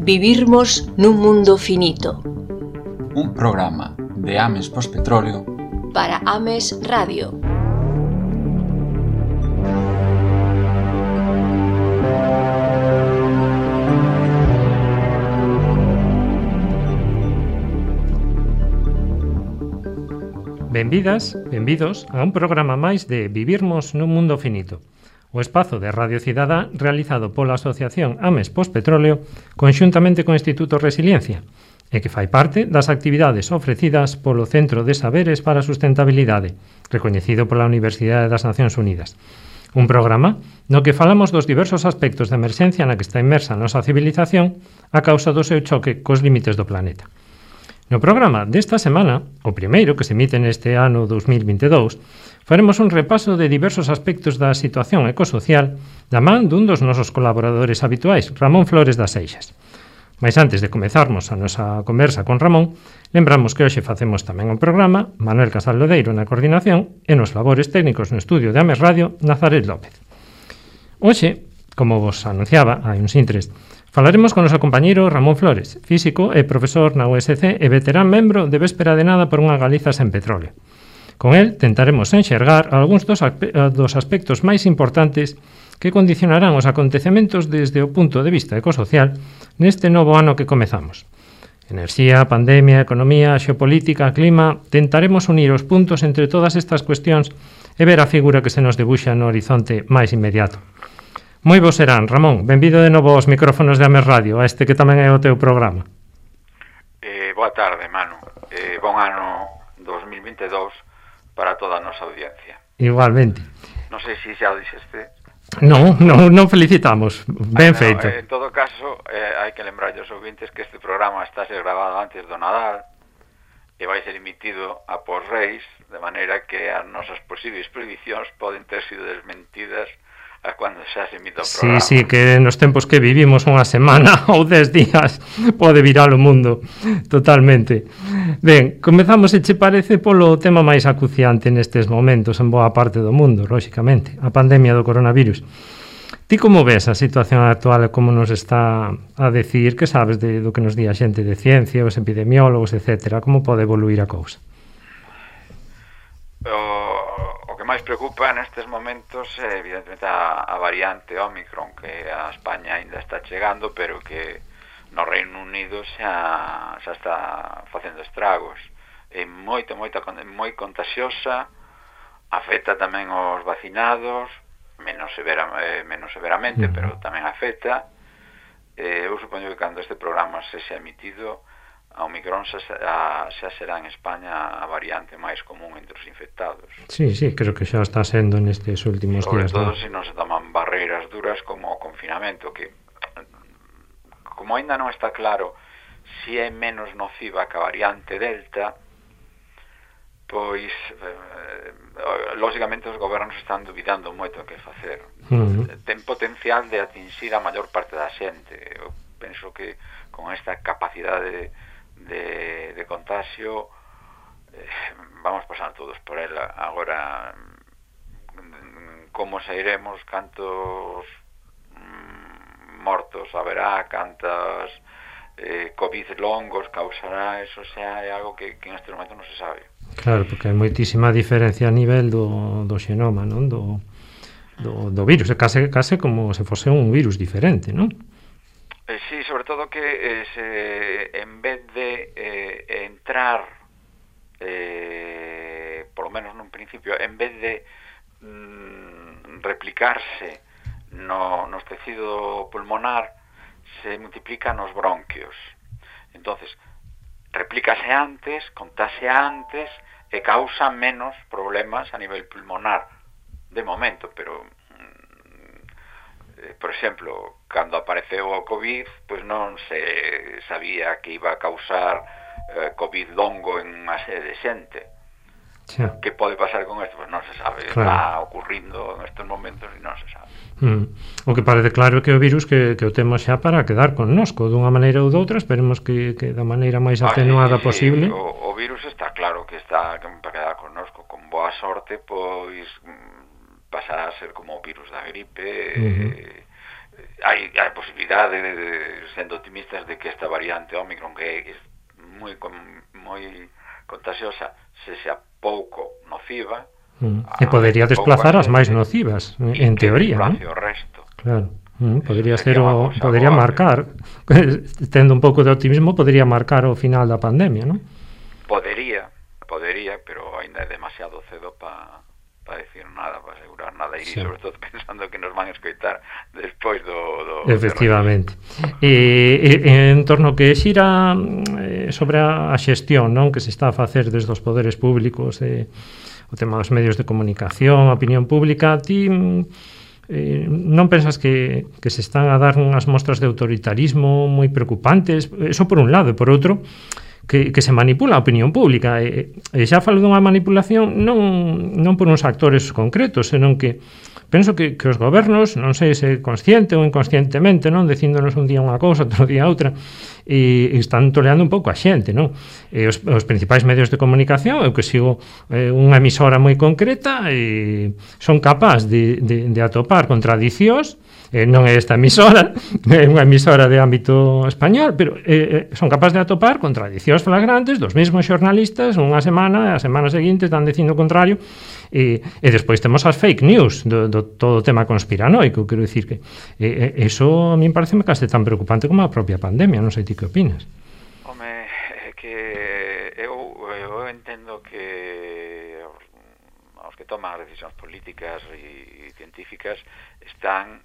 Vivirmos nun mundo finito. Un programa de Ames Pospetróleo para Ames Radio. Benvidas, benvidos a un programa máis de Vivirmos nun mundo finito, o espazo de Radio Cidadá realizado pola Asociación Ames Pospetróleo conxuntamente co Instituto Resiliencia e que fai parte das actividades ofrecidas polo Centro de Saberes para a Sustentabilidade, recoñecido pola Universidade das Nacións Unidas. Un programa no que falamos dos diversos aspectos de emerxencia na que está inmersa a nosa civilización a causa do seu choque cos límites do planeta. No programa desta semana, o primeiro que se emite neste ano 2022, faremos un repaso de diversos aspectos da situación ecosocial da man dun dos nosos colaboradores habituais, Ramón Flores das Seixas. Mais antes de comezarmos a nosa conversa con Ramón, lembramos que hoxe facemos tamén un programa, Manuel Casal Lodeiro na coordinación e nos labores técnicos no estudio de Ames Radio, Nazaret López. Hoxe, como vos anunciaba hai uns intres, falaremos con o noso compañeiro Ramón Flores, físico e profesor na USC e veterán membro de Véspera de Nada por unha Galiza sen petróleo. Con el tentaremos enxergar algúns dos aspectos máis importantes que condicionarán os acontecementos desde o punto de vista ecosocial neste novo ano que comezamos. Enerxía, pandemia, economía, xeopolítica, clima... Tentaremos unir os puntos entre todas estas cuestións e ver a figura que se nos debuxa no horizonte máis inmediato. Moi vos serán, Ramón, benvido de novo aos micrófonos de Ames Radio, a este que tamén é o teu programa. Boa tarde, Manu. Bon ano 2022 para toda a nosa audiencia. Igualmente. Non sei se xa o dixeste. Non felicitamos, ben feito. En todo caso, hai que lembrar aos ouvintes que este programa está ser grabado antes do Nadal e vai ser emitido a pos Reis, de maneira que as nosas posibles predicións poden ter sido desmentidas a cando xa se emite o programa. Sí, que nos tempos que vivimos unha semana ou 10 días pode virar o mundo totalmente. Ben, comezamos, se che parece, polo tema máis acuciante nestes momentos en boa parte do mundo, lóxicamente, a pandemia do coronavirus. Ti como ves a situación actual e como nos está a decir, que sabes do que nos di a xente de ciencia, os epidemiólogos, etcétera, como pode evoluir a cousa? O que máis preocupa nestes momentos é evidentemente a variante Omicron, que a España ainda está chegando, pero que no Reino Unido xa está facendo estragos. É moi contagiosa, afecta tamén os vacinados, menos severamente, pero tamén afecta. Eu supoño que cando este programa se xa emitido, a Omicron xa será en España a variante máis común entre os infectados. Sí, creo que xa está sendo nestes últimos días. Sobre todo se non se toman barreiras duras como o confinamento, que como ainda non está claro se é menos nociva que a variante Delta, pois lógicamente os gobernos están dubidando moito o que facer. Ten potencial de atinxir a maior parte da xente. Eu penso que con esta capacidade de contagio vamos pasar todos por ela. Agora, como sairemos, cantos mortos haberá, cantas COVID longos causará, eso xa é algo que en este momento non se sabe. Claro, porque hai moitísima diferencia a nivel do xenoma, non? Do virus, é case como se fose un virus diferente, non? Sí, sobre todo que en vez de entrar, por lo menos nun principio, en vez de replicarse nos tecido pulmonar, se multiplica nos bronquios. Entonces, replícase antes, contaxia antes e causa menos problemas a nivel pulmonar de momento, pero por exemplo, cando apareceu o COVID, pois non se sabía que iba a causar COVID longo en unha serie de xente. Que pode pasar con isto? Pois non se sabe, claro. Está ocurrindo en estes momentos e non se sabe. O que parece claro é que o virus que o temos xa para quedar connosco dunha maneira ou doutra, esperemos que da maneira máis atenuada posible. O virus está claro que está para quedar connosco, con boa sorte, pois pasará a ser como o virus da gripe, hai posibilidade, sendo optimistas, de que esta variante Omicron, que é moi contagiosa, se xa pouco nociva, e podería desplazar as máis nocivas, en teoría, non? O resto. Claro. Podería marcar, tendo un pouco de optimismo, podería marcar o final da pandemia, non? Podería, pero ainda é demasiado cedo para decir nada, para asegurar nada, e sobre todo pensando que nos van a escoitar despois do efectivamente. En torno que xira sobre a xestión, non, que se está a facer desde os poderes públicos, o tema dos medios de comunicación, a opinión pública, ti non pensas que se están a dar unhas mostras de autoritarismo moi preocupantes? Eso por un lado, e por outro, que se manipula a opinión pública, e xa falo dunha manipulación non por uns actores concretos, senón que penso que os gobernos, non sei se consciente ou inconscientemente, non, dicíndonos un día unha cousa, outro día outra, e están toleando un pouco a xente, non? E os principais medios de comunicación, eu que sigo unha emisora moi concreta, e son capaz de atopar contradicións. Non é esta emisora, é unha emisora de ámbito español, pero son capaz de atopar contradicións flagrantes dos mesmos xornalistas unha semana, e a semana seguinte están dicindo o contrario, e despois temos as fake news do todo o tema conspiranoico. Quero dicir que eso a mí parece case tan preocupante como a propia pandemia. Non sei ti que opinas. Home, é que eu entendo que os que toman as decisións políticas e científicas están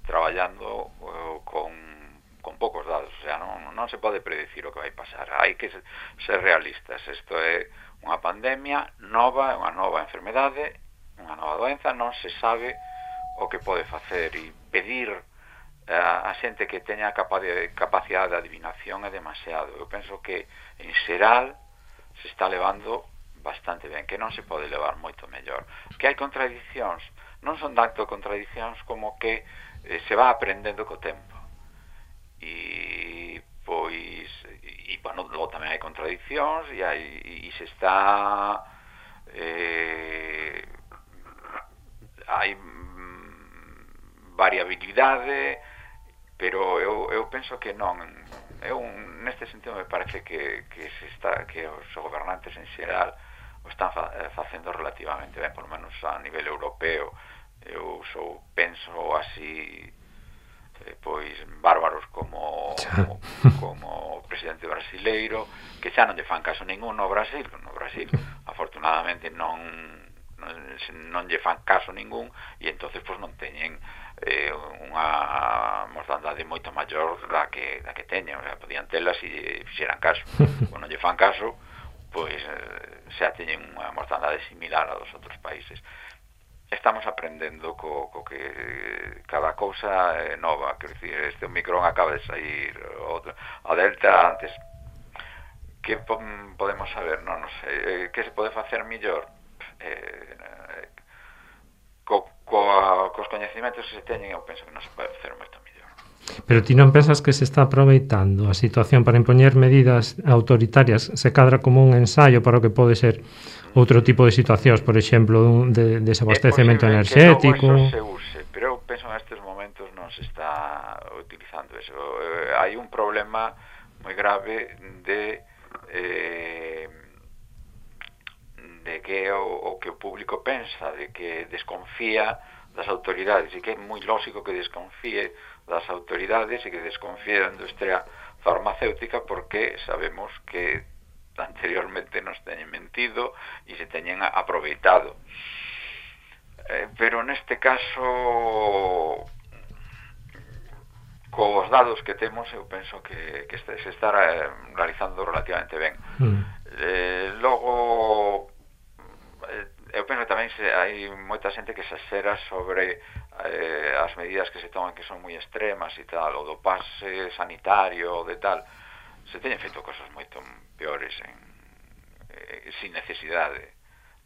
traballando con poucos dados, o sea, non se pode predecir o que vai pasar, hai que ser realistas. Isto é unha pandemia nova, unha nova enfermedade, unha nova doenza, non se sabe o que pode facer, e pedir a xente que teña capacidade de adivinación é demasiado. Eu penso que en xeral se está levando bastante ben, que non se pode levar moito mellor, que hai contradicións, non son tanto contradicións como que se va aprendendo co tempo, e pois bueno, logo tamén hai contradicións e se está hai variabilidade, pero eu penso que non. Neste sentido me parece que os gobernantes en xeral o están facendo relativamente ben, por lo menos a nivel europeo. Eu penso así, pois bárbaros como o presidente brasileiro, que xa non lle fan caso ningún no Brasil. Afortunadamente non lle fan caso ningún, e entonces pois non teñen unha mortandade moito maior da que teñen. O sea, podían telas se fixeran caso. Quando non lle fan caso, pois xa teñen unha mortandade similar a dos outros países. Estamos aprendendo co que cada cousa é nova. Quero dicir, este Omicron acaba de sair, a Delta antes. Que podemos saber? Non sei. Que se pode facer mellor? Cos coñecimentos que se teñen, eu penso que non se pode facer moito mellor. Pero ti non pensas que se está aproveitando a situación para impoñer medidas autoritarias? Se cadra como un ensaio para o que pode ser outro tipo de situacións, por exemplo, de desabastecemento enerxético? Se use, pero eu penso en estes momentos non se está utilizando eso. Hai un problema moi grave de que o que o público pensa, de que desconfía das autoridades, e que é moi lógico que desconfíe das autoridades e que desconfíe da industria farmacéutica, porque sabemos que anteriormente nos teñen mentido e se teñen aproveitado. Pero neste caso, cos dados que temos, eu penso que se está realizando relativamente ben. Logo, eu penso que tamén hai moita xente que se exera sobre as medidas que se toman, que son moi extremas e tal, o do pase sanitario, de tal. Se teñen feito cosas moito peores sin necesidade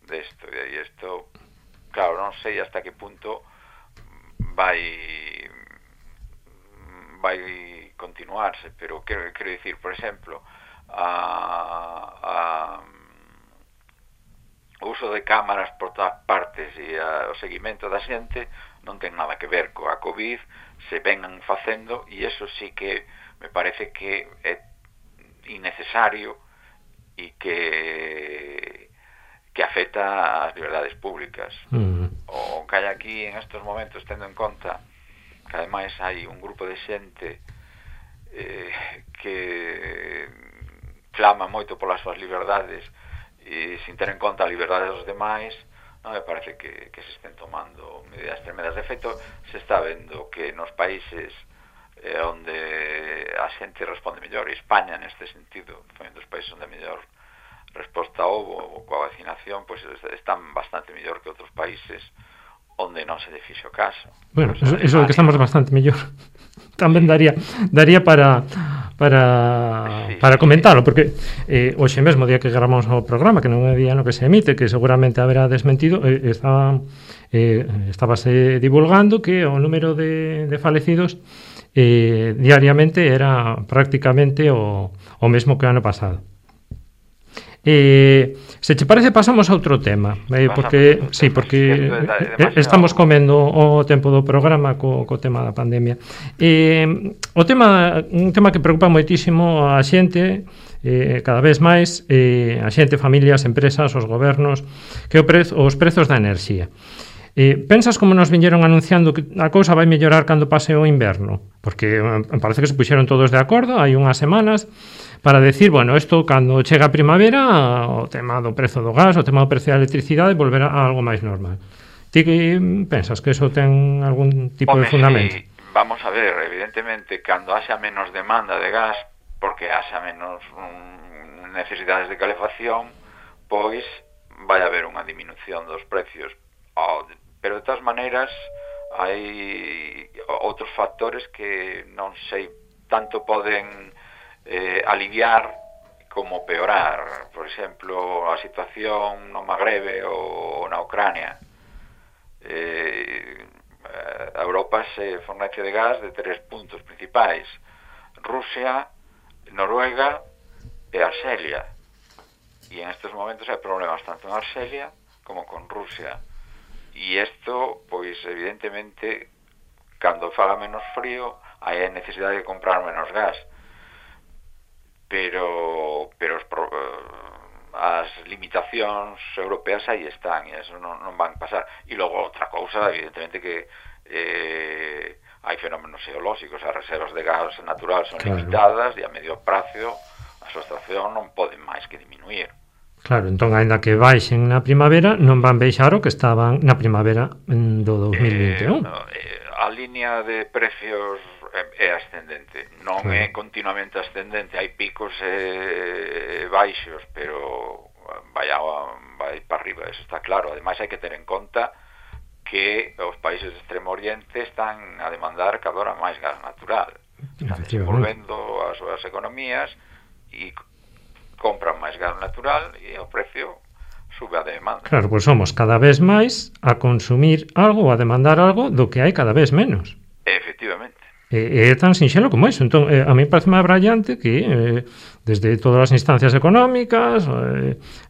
desto, e isto, claro, non sei hasta que punto vai continuarse, pero quero dicir, por exemplo, o uso de cámaras por todas partes e o seguimento da xente non ten nada que ver coa COVID, se vengan facendo, e eso sí que me parece que é innecesario e que afecta ás liberdades públicas. O que hai aquí en estes momentos, tendo en conta que ademais hai un grupo de xente que clama moito polas súas liberdades e sin ter en conta a liberdade dos demais, non me parece que se estén tomando medidas tremendas. De feito, se está vendo que nos países onde a xente responde mellor, e España neste sentido foi un dos países onde mellor resposta houbo coa vacinación, pois están bastante mellor que outros países onde non se lle fixo caso. Bueno, eso é que estamos bastante mellor. Tamén daría para comentarlo, porque hoxe mesmo, día que gravamos o programa, que non é día no que se emite, que seguramente haberá desmentido, estábase divulgando que o número de falecidos diariamente era prácticamente o mesmo que o ano pasado. Se che parece, pasamos a outro tema, porque estamos comendo o tempo do programa co tema da pandemia. Un tema que preocupa moitísimo a xente, cada vez máis, a xente, familias, empresas, os gobernos, que os prezos da enerxía. Pensas como nos viñeron anunciando que a cousa vai mellorar cando pase o inverno? Porque parece que se puxeron todos de acordo hai unhas semanas para decir, bueno, isto cando chega a primavera, o tema do prezo do gas, o tema do prezo da electricidade volverá a algo máis normal. Ti que pensas que eso ten algún tipo de fundamento? Sí, vamos a ver, evidentemente, cando haxa menos demanda de gas, porque haxa menos necesidades de calefacción, pois vai haber unha disminución dos precios. Pero de todas maneiras hai outros factores que non sei, tanto poden aliviar como peorar. Por exemplo, a situación no Magrebe ou na Ucrania. A Europa se fornece de gas de 3 puntos principais: Rusia, Noruega e Arxelia. E en estes momentos hai problemas tanto en Arxelia como con Rusia. E isto, pois, evidentemente, cando faga menos frío, hai a necesidade de comprar menos gas. Pero as limitacións europeas aí están, e eso non van pasar. E logo outra cousa, evidentemente, que hai fenómenos xeolóxicos, as reservas de gas natural son limitadas, e a medio prazo a súa situación non pode máis que diminuir. Claro, entón, aínda que baixen na primavera, non van baixar o que estaban na primavera do 2021. A línea de precios é ascendente, non é continuamente ascendente, hai picos e baixos, pero vai para arriba, eso está claro. Ademais, hai que ter en conta que os países de Extremo Oriente están a demandar cada hora máis gas natural, están desenvolvendo as súas economías e compran máis gas natural, e o precio sube a demanda. Claro, pois somos cada vez máis a consumir algo, a demandar algo do que hai cada vez menos. Efectivamente. É tan sinxelo como iso. Entón, a mí parece máis brillante que desde todas as instancias económicas,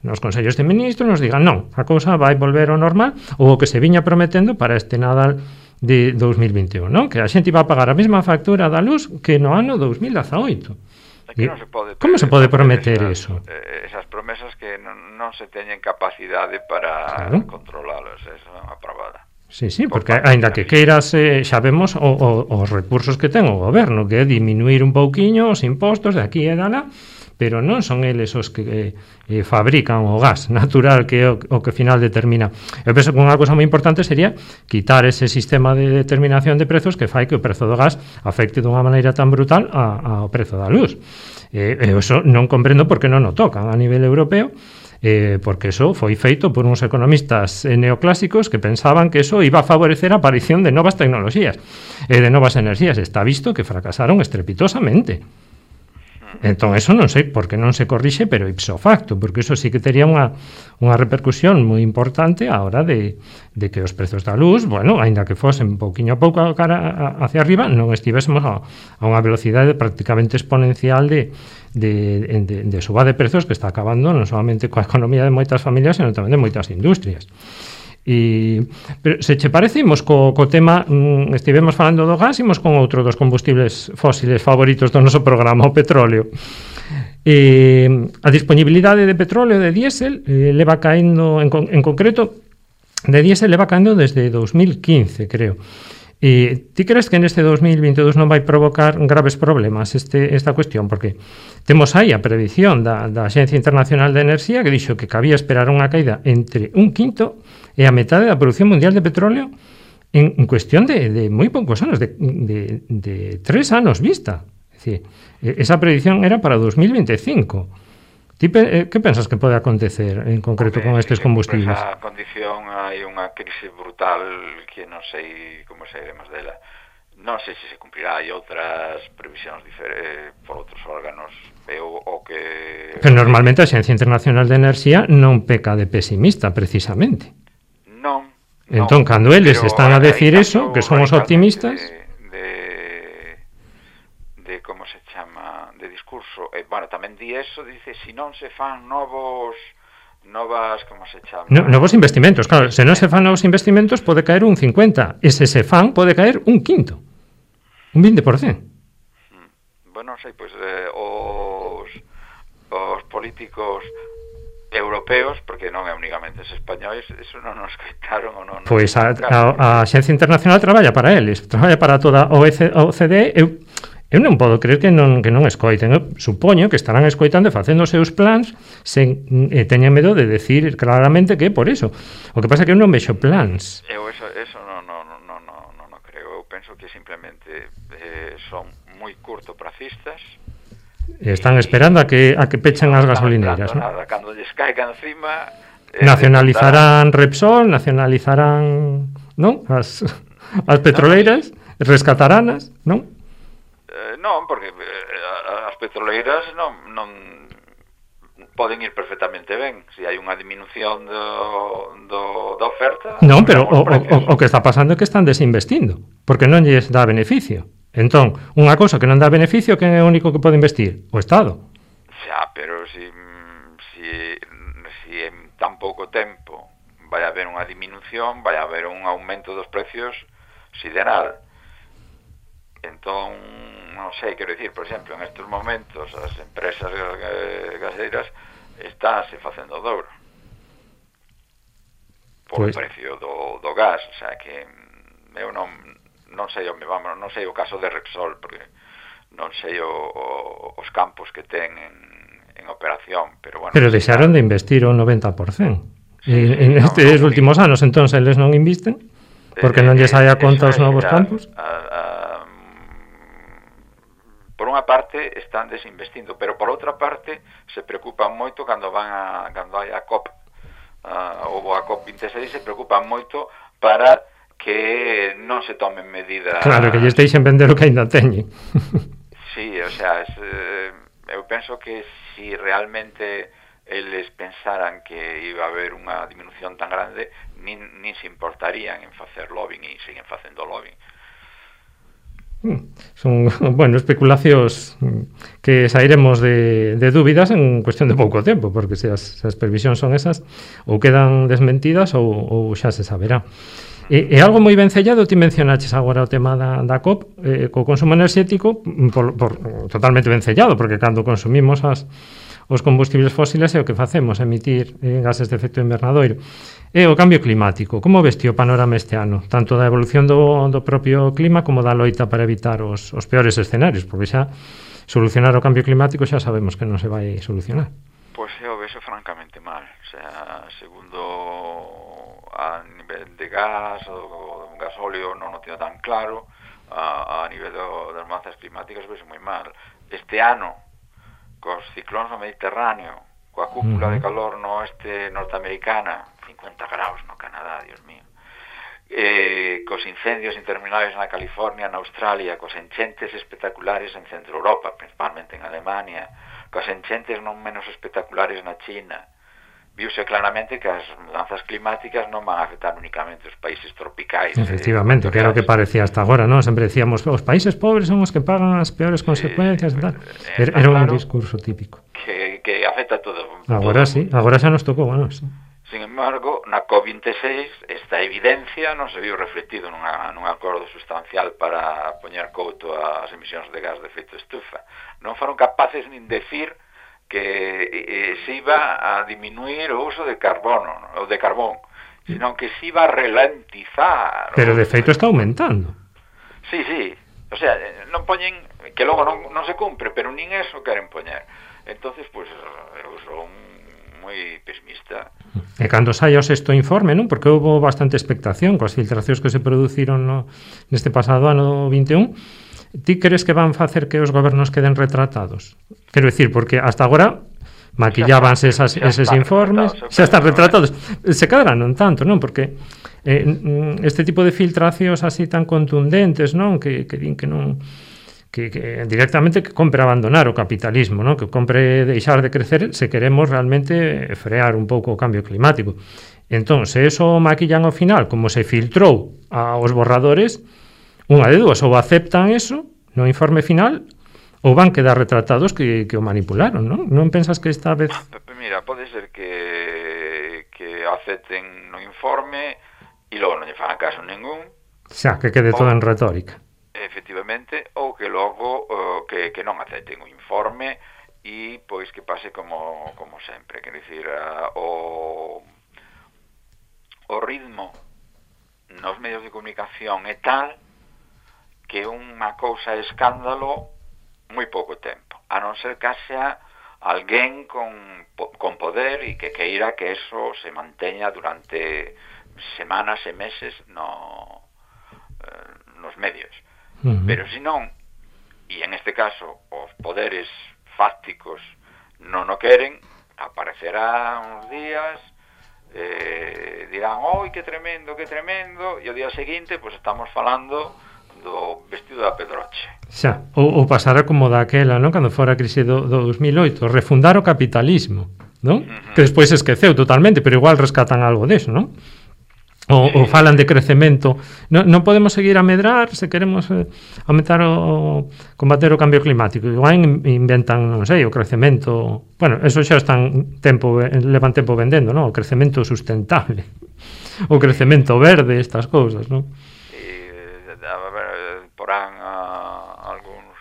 nos consellos de ministros, nos digan, non, a cousa vai volver ao normal, ou o que se viña prometendo para este Nadal de 2021, non? Que a xente iba a pagar a mesma factura da luz que no ano 2018. Non se pode como se pode prometer eso? Esas promesas que non se teñen capacidade para controlalas, esa é unha probada. Sí, porque aínda que queiras, xa vemos os recursos que ten o goberno, que é diminuir un pouquiño os impostos de aquí e de alá, pero non son eles os que fabrican o gas natural, que é o que final determina. Eu penso que unha cousa moi importante sería quitar ese sistema de determinación de prezos que fai que o prezo do gas afecte dunha maneira tan brutal ao prezo da luz. Eso non comprendo por que non o tocan a nivel europeo, porque eso foi feito por uns economistas neoclásicos que pensaban que eso iba a favorecer a aparición de novas tecnoloxías e de novas enerxías. Está visto que fracasaron estrepitosamente. Entón, eso non sei por que non se corrixe, pero ipso facto, porque eso sí que tería unha repercusión moi importante a hora de que os prezos da luz, bueno, aínda que fosen pouquiño a pouco cara hacia arriba, non estivésemos a unha velocidade prácticamente exponencial de suba de prezos que está acabando non solamente coa economía de moitas familias, senón tamén de moitas industrias. Pero se che parece, imos co tema, estivemos falando do gas, imos con outro dos combustibles fósiles favoritos do noso programa, o petróleo. A disponibilidade de petróleo de diésel leva caendo, en concreto, de diésel leva caendo desde 2015, creo. Ti crees que neste 2022 non vai provocar graves problemas esta cuestión? Porque temos aí a predición da Axencia Internacional de Enerxía que dixo que cabía esperar unha caída entre un quinto e a metade da produción mundial de petróleo en cuestión de moi poucos anos, de 3 anos vista. É dicir, esa predición era para 2025. Ti que pensas que pode acontecer en concreto con estes combustibles? Esa condición hai unha crise brutal que non sei como sairemos dela. Non sei se cumprirá, hai outras previsións por outros órganos o que... Pero normalmente a Axencia Internacional de Enerxía non peca de pesimista, precisamente. Non. Entón, cando eles están a decir eso, que son os optimistas... de como se chama, de discurso, bueno, tamén di eso, dice, si non se fan novas, como se chama? Novos investimentos, claro, se non se fan novos investimentos pode caer un 50, e se se fan pode caer un quinto, un 20%. Bueno, non sei, pois os políticos europeos, porque non é únicamente os españois, eso non nos coitaron ou non... Pois a Axencia Internacional traballa para eles, traballa para toda a OCDE. Eu non podo creer que non escoiten. Eu supoño que estarán escoitando e facendo os seus plans sen teñen medo de decir claramente que é por iso. O que pasa é que eu non vexo plans. Eu eso non creo. Eu penso que simplemente son moi curtopracistas. Están esperando a que pechen as gasolineras, non? Nada, cando lles caiga encima... nacionalizarán Repsol, nacionalizarán, non? As petroleiras, rescataranas, non? Non, porque as petroleiras non poden ir perfectamente ben. Se hai unha disminución da oferta... Non, pero o que está pasando é que están desinvestindo, porque non lles dá beneficio. Entón, unha cousa que non dá beneficio, quen é o único que pode investir? O Estado. Xa, pero si en tan pouco tempo vai haber unha disminución, vai haber un aumento dos precios sideral. Entón, non sei, quero dicir, por exemplo, en estes momentos as empresas gaseiras estánse facendo douro por o precio do gas, o sea que eu non sei, non sei o caso de Repsol, porque non sei os campos que ten en operación, pero bueno... Pero deixaron de investir o 90%. En estes últimos anos, entón, eles non invisten? Porque non lles hai a conta os novos campos? Por unha parte están desinvestindo, pero por outra parte se preocupan moito cando hai a COP ou a COP26, se preocupan moito para que non se tomen medidas... Claro, que lles deixen vender o que ainda teñen. Sí, o sea, eu penso que si realmente eles pensaran que iba a haber unha disminución tan grande, nin se importarían en facer lobbying e siguen facendo lobbying. Son, bueno, especulacións que sairemos de dúbidas en cuestión de pouco tempo, porque se as previsións son esas, ou quedan desmentidas ou xa se saberá. E algo moi vencellado, ti mencionaches agora o tema da COP, co consumo enerxético, totalmente vencellado, porque cando consumimos os combustibles fósiles é o que facemos, emitir gases de efecto invernadoiro. E o cambio climático, como veste o panorama este ano, tanto da evolución do propio clima como da loita para evitar os peores escenarios, porque xa solucionar o cambio climático xa sabemos que non se vai solucionar. Pois eu vexo francamente mal, o sea, segundo a nivel de gas ou gasóleo non o teño tan claro, a nivel das mudanzas climáticas vexo moi mal. Este ano, cos ciclóns no Mediterráneo, coa cúpula de calor no oeste norteamericana, 50 graus no Canadá, Dios mío, cos incendios interminables na California, na Australia, cos enchentes espectaculares en Centro Europa, principalmente en Alemania, cos enchentes non menos espectaculares na China, viuse claramente que as mudanzas climáticas non van a afectar únicamente os países tropicais. Efectivamente, que era o que parecía hasta agora, non? Sempre decíamos, os países pobres son os que pagan as peores consecuencias e tal. Era un discurso típico. Que afecta a todo. Agora sí, agora xa nos tocou, bueno, sí. Sin embargo, na COP26 esta evidencia non se viu reflectido nun acordo sustancial para poñer couto ás emisións de gas de efecto estufa. Non foron capaces nin decir que se iba a diminuir o uso de carbono, ou de carbón, sino que se iba a ralentizar. Pero de feito está aumentando. Sí, sí. O sea, non poñen, que logo non se cumpre, pero nin eso queren poñer. Entonces, pues, eu son moi pesimista. E cando saia o sexto informe, non? Porque houve bastante expectación coas filtracións que se produciron neste pasado ano 21. Ti crees que van facer que os gobernos queden retratados? Quero dicir, porque hasta agora maquillábanse eses informes, xa están retratados. Se cadra non tanto, non? Porque este tipo de filtracións así tan contundentes, non? Que din que non... que directamente que compre abandonar o capitalismo, non? Que compre deixar de crecer se queremos realmente frear un pouco o cambio climático. Entón, se eso maquillan ao final, como se filtrou aos borradores, unha de dúas, ou aceptan eso no informe final, ou van quedar retratados que o manipularon, non? Non pensas que esta vez... Mira, pode ser que acepten no informe e logo non lle fan caso ningún. Xa, que quede todo en retórica. Efectivamente, ou que logo que non acepten o informe e pois que pase como sempre, quer dicir, o ritmo nos medios de comunicación é tal que unha cousa é escándalo moi pouco tempo, a non ser que xa alguén con poder e que queira que eso se manteña durante semanas e meses nos medios. Pero se non, e en este caso os poderes fácticos non o queren, aparecerá uns días, dirán, oi, que tremendo, e o día seguinte pues estamos falando do vestido da Pedroche. Xa, ou pasará como daquela, non? Cando fora a crise do 2008, refundar o capitalismo, non? Que despois se esqueceu totalmente, pero igual rescatan algo deso, non? Ou falan de crecemento. Non podemos seguir a medrar se queremos aumentar combater o cambio climático. Igual inventan, non sei, o crecemento... Bueno, eso xa levan tempo vendendo, non? O crecemento sustentable. O crecemento verde, estas cousas, non? Porán algúns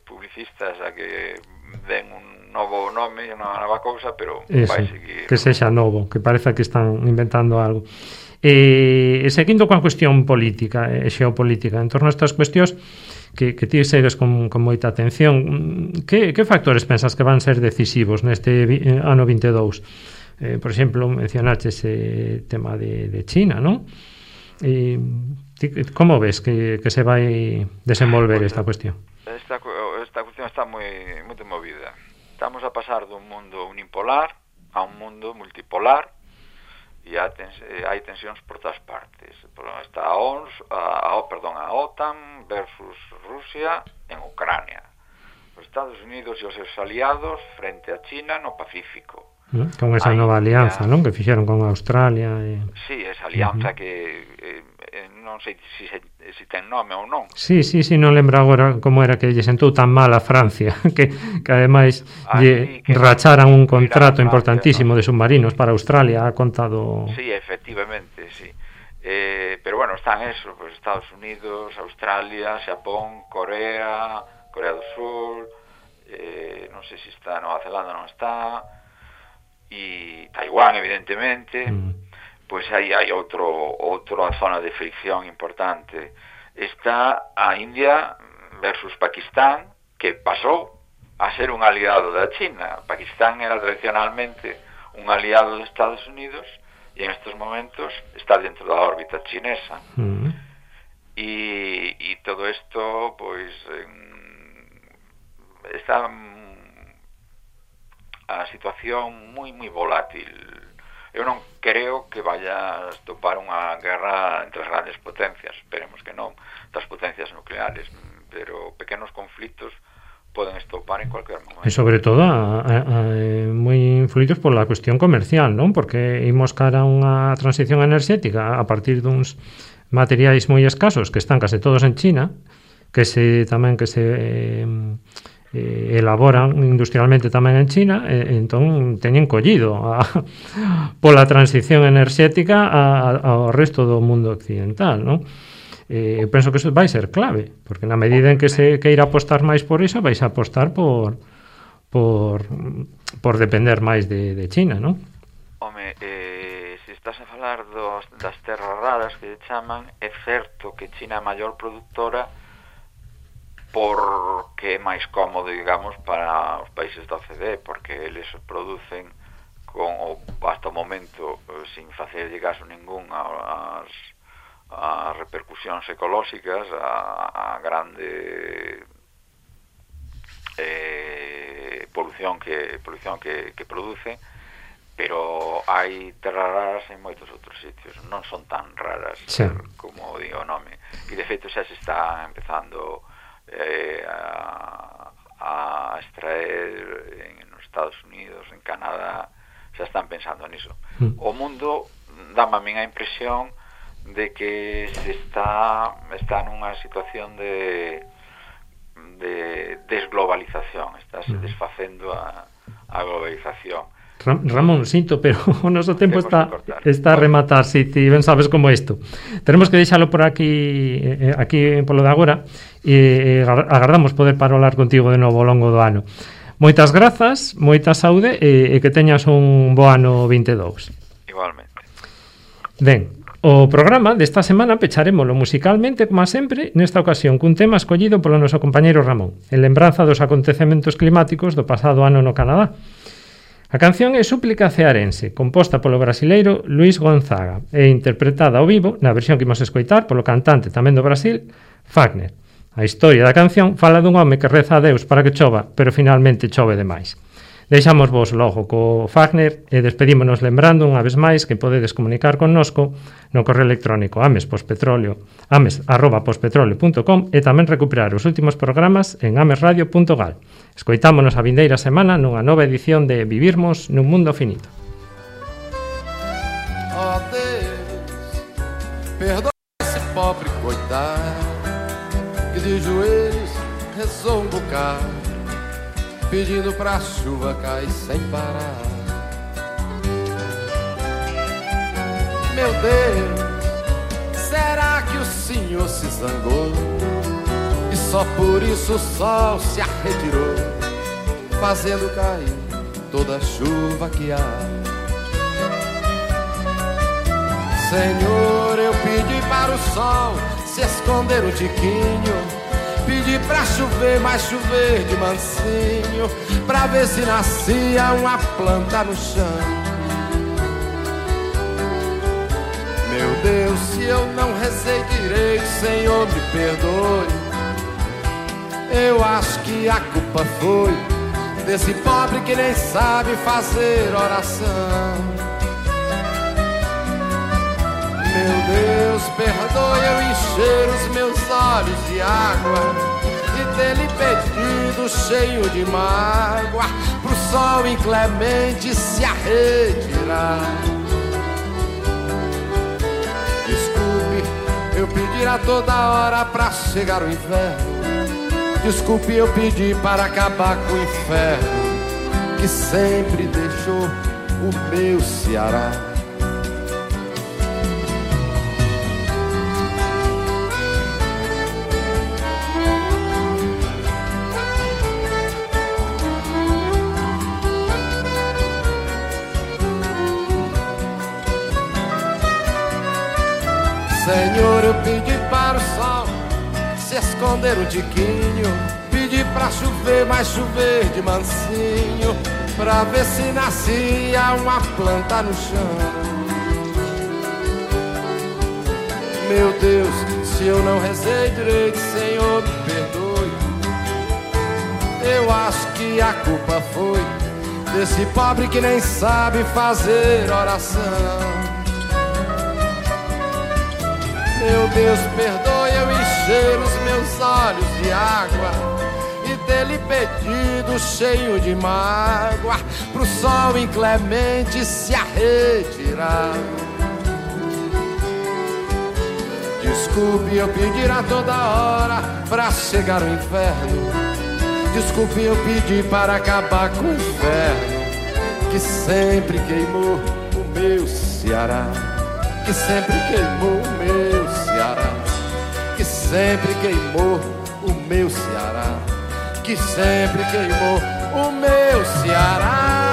publicistas a que den un novo nome e unha nova cousa, pero vai seguir... Que sexa novo, que pareza que están inventando algo. E seguindo coa cuestión política e xeopolítica, en torno a estas cuestións que ti segues con moita atención, que factores pensas que van ser decisivos neste ano 22? Por exemplo, mencionaste ese tema de China, non? Como ves que se vai desenvolver esta cuestión? Esta cuestión está moi movida. Estamos a pasar dun mundo unipolar a un mundo multipolar e hai tensións por todas partes. Está a OTAN versus Rusia en Ucrania. Os Estados Unidos e os seus aliados frente a China no Pacífico. Con esa nova alianza, non? Que fixeron con Australia. Sí, esa alianza que non sei se ten nome ou non. Sí, non lembro agora como era que lle sentou tan mal a Francia que ademais lle racharan un contrato importantísimo de submarinos para Australia, ha contado... Sí, efectivamente, sí. Pero bueno, están eso, pues Estados Unidos, Australia, Xapón, Corea do Sur, non sei se está Nova Zelanda, non está, e Taiwán, evidentemente. Pois aí hai outra zona de fricción importante. Está a India versus Pakistán, que pasou a ser un aliado da China. Pakistán era tradicionalmente un aliado de Estados Unidos e en estes momentos está dentro da órbita chinesa. E todo isto, pois, está a situación moi volátil. Eu non creo que vaya a estopar unha guerra entre as grandes potencias, esperemos que non, das potencias nucleares, pero pequenos conflitos poden estopar en cualquier momento. E sobre todo moi influídos pola cuestión comercial, non? Porque imos cara a unha transición enerxética a partir duns materiais moi escasos que están case todos en China, que se elaboran industrialmente tamén en China, entón teñen collido pola transición enerxética ao resto do mundo occidental, non? Eu penso que iso vai ser clave, porque na medida en que se queira apostar máis por iso, vais a apostar por depender máis de China, non? Home, se estás a falar das terras raras que chaman, é certo que China é a maior productora porque é máis cómodo, digamos, para os países da OCDE, porque eles producen hasta o momento sin facerlle caso ningún as repercusións ecolóxicas, a grande polución que produce, pero hai terras raras en moitos outros sitios, non son tan raras, sí, como digo o nome, e de feito xa se está empezando a extraer en os Estados Unidos, en Canadá, xa están pensando niso. O mundo dame a min a impresión de que se está nunha situación de desglobalización, está se desfacendo a globalización. Ramón, sinto, pero o noso tempo está a rematar, si ti ben sabes como isto. Tenemos que deixalo por aquí polo de agora, e agardamos poder parolar contigo de novo ao longo do ano. Moitas grazas, moita saúde e que teñas un bo ano 22. Igualmente. Ben, o programa desta semana pecharemoslo musicalmente, como sempre, nesta ocasión cun tema escollido polo noso compañeiro Ramón, en lembranza dos acontecementos climáticos do pasado ano no Canadá. A canción é Súplica cearense, composta polo brasileiro Luís Gonzaga e interpretada ao vivo na versión que imos escoitar polo cantante tamén do Brasil, Fagner. A historia da canción fala dun home que reza a Deus para que chova, pero finalmente chove demais. Deixamos vos logo co Fagner e despedímonos lembrando unha vez máis que podedes comunicar connosco no correo electrónico ames@pospetroleo.com e tamén recuperar os últimos programas en amesradio.gal. Escoitámonos a vindeira semana nunha nova edición de Vivirmos nun Mundo Finito. Ó Deus, perdoa esse pobre coitado que de joelhos rezou um bocado pedindo pra chuva cair sem parar. Meu Deus, será que o Senhor se zangou e só por isso o sol se arretirou, fazendo cair toda a chuva que há? Senhor, eu pedi para o sol se esconder um tiquinho, pedi pra chover, mas chover de mansinho, pra ver se nascia uma planta no chão. Meu Deus, se eu não rezei direito, Senhor, me perdoe. Eu acho que a culpa foi desse pobre que nem sabe fazer oração. Meu Deus, perdoe eu encher os meus olhos de água e ter-lhe pedido cheio de mágoa pro sol inclemente se arretirar. Desculpe eu pedir a toda hora pra chegar o inverno. Desculpe eu pedir para acabar com o inferno que sempre deixou o meu Ceará. Senhor, eu pedi para o sol se esconder um tiquinho, pedi pra chover, mas chover de mansinho, pra ver se nascia uma planta no chão. Meu Deus, se eu não rezei direito, Senhor, me perdoe. Eu acho que a culpa foi desse pobre que nem sabe fazer oração. Meu Deus, perdoe eu encher os meus olhos de água e ter-lhe pedido cheio de mágoa pro sol inclemente se arretirar. Desculpe eu pedir a toda hora pra chegar o inferno. Desculpe eu pedir para acabar com o inverno que sempre queimou o meu Ceará, que sempre queimou o meu Ceará, que sempre queimou o meu Ceará, que sempre queimou o meu Ceará.